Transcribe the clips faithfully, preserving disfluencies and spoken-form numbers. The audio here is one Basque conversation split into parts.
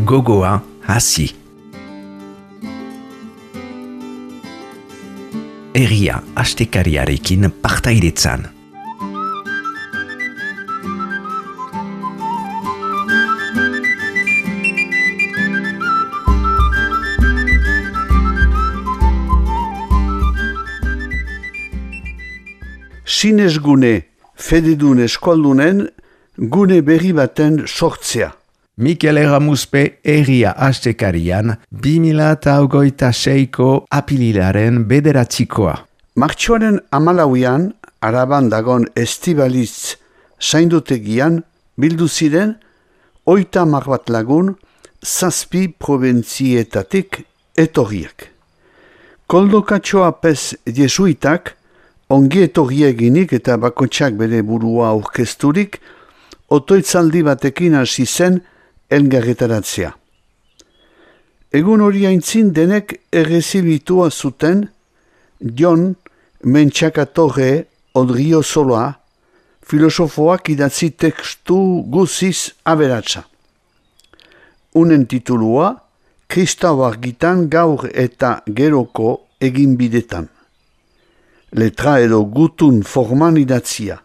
Gogoa hasi. Herria astekariarekin partaidetzan. Sinesgune fededun eskoldunen gune berri baten sortzea. Mikel Erramuzpe Herria astekarian bi mila hogeita seiko apililaren bederatzikoa. Martxoaren hamalauean, Araban dagon estibalitz zaindutegian bildu ziren hogeita hamar bat lagun zazpi probentzietatik etorriak. Koldo Katxoa Pez jesuitak ongi etorrieginik eta bakotsak bere burua aurkezturik otoitzaldi batekin hasi zen elgarretaratzea. Egun hori aintzin denek errezibitua zuten Jon Mentxakatorre Odriozoloa, filosofoak idatzi tekstu guziz aberatsa. Unen titulua, Kristau argitan gaur eta geroko eginbidetan. Letra edo gutun forman idatzia.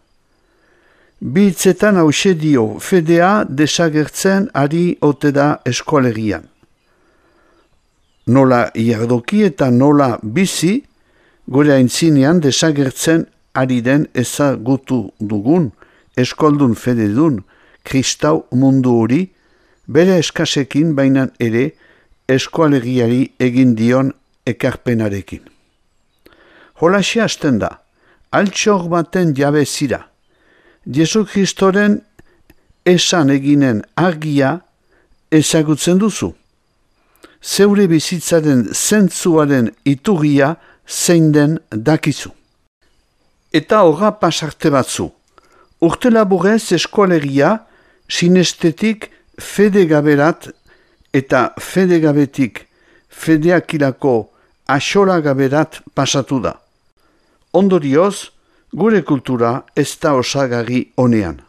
Bi hitzetan hause dio fedea desagertzen ari ote da eskualerian. Nola iardoki eta nola bizi, gure aintzinean desagertzen ari den ezagutu dugun, eskoldun fededun, kristau mundu hori, bere eskasekin bainan ere eskualeriari egin dion ekarpenarekin. Holaxe hasten da, altxor baten jabe zira. Jesu Kristoren esan eginen argia ezagutzen duzu. Zeure bizitzaren zentzuaren iturria zein den dakizu. Eta horra pasarte batzu. Urte laburez eskualeria sinestetik fedegaberat eta fedegabetik fedeakilako axolagaberat pasatu da. Ondorioz, gure kultura ez da osagarri honean.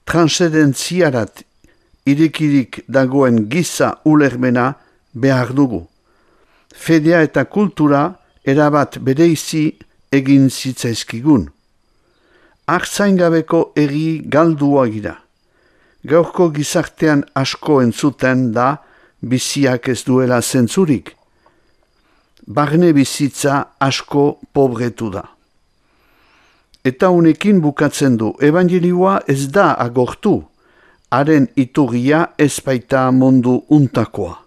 Transcendentziarat irekirik dagoen giza ulermena behar dugu. Fedea eta kultura erabat bereizi egin zitzaizkigun. Artzaingabeko eri galdua gira. Gaurko gizartean asko entzuten da biziak ez duela zentzurik. Barne bizitza asko pobretu da. Eta unekin bukatzen du, evangelioa ez da agortu, haren iturria ez baita mundu untakoa.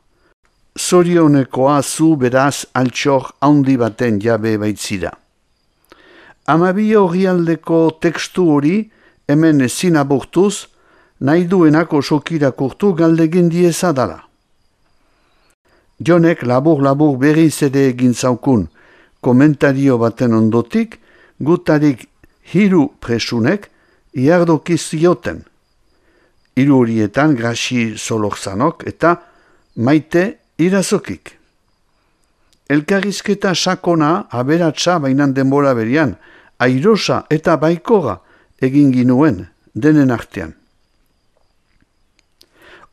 Zorionekoa zu beraz altxor handi baten jabe baitzira. Amabi horrialdeko tekstu hori hemen ezin abortuz, nahi duenako sokirakurtu galdegin diezadala. Jonek labur-labur berriz ere egin zaukun komentario baten ondotik, gutarik hiru presunek iardoki zioten. Hiru horietan Grasi Solorzanok eta Maite Irazokik. Elkarrizketa sakona aberatsa bainan denbora berian, airosa eta baikora egin ginuen denen artean.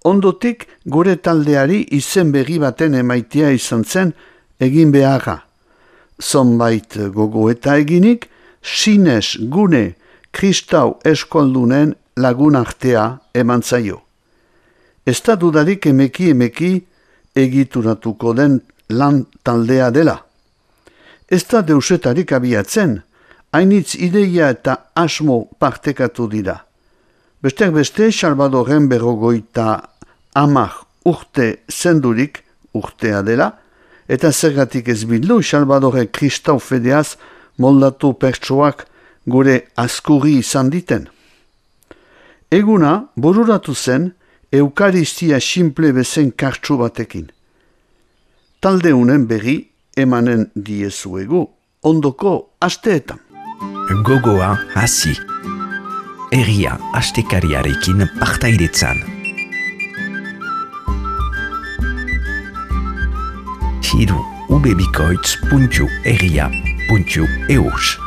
Ondotik gure taldeari izen berri baten emaitea izan zen egin beharra. Zonbait gogoeta eginik, sines gune kristau eskoldunen lagun artea eman zaio. Ez da dudarik emeki emeki egituratuko den lan taldea dela. Ez da deusetarik abiatzen, hainitz ideia eta asmo partekatu dira. Besteak beste, Salvadorren berrogoita hamar urte zendurik urtea dela, eta zergatik ez bildu Salvadorre kristau fedeaz moldatu pertsoak gure askurri izan diten. Eguna bururatu zen eukaristia simple bezen kartsu batekin. Talde unen berri emanen diezuegu ondoko asteetan. Gogoa hasi. Herria astekariarekin partaidetzan. Hiru ubebikoitz puntu herria puntu eus.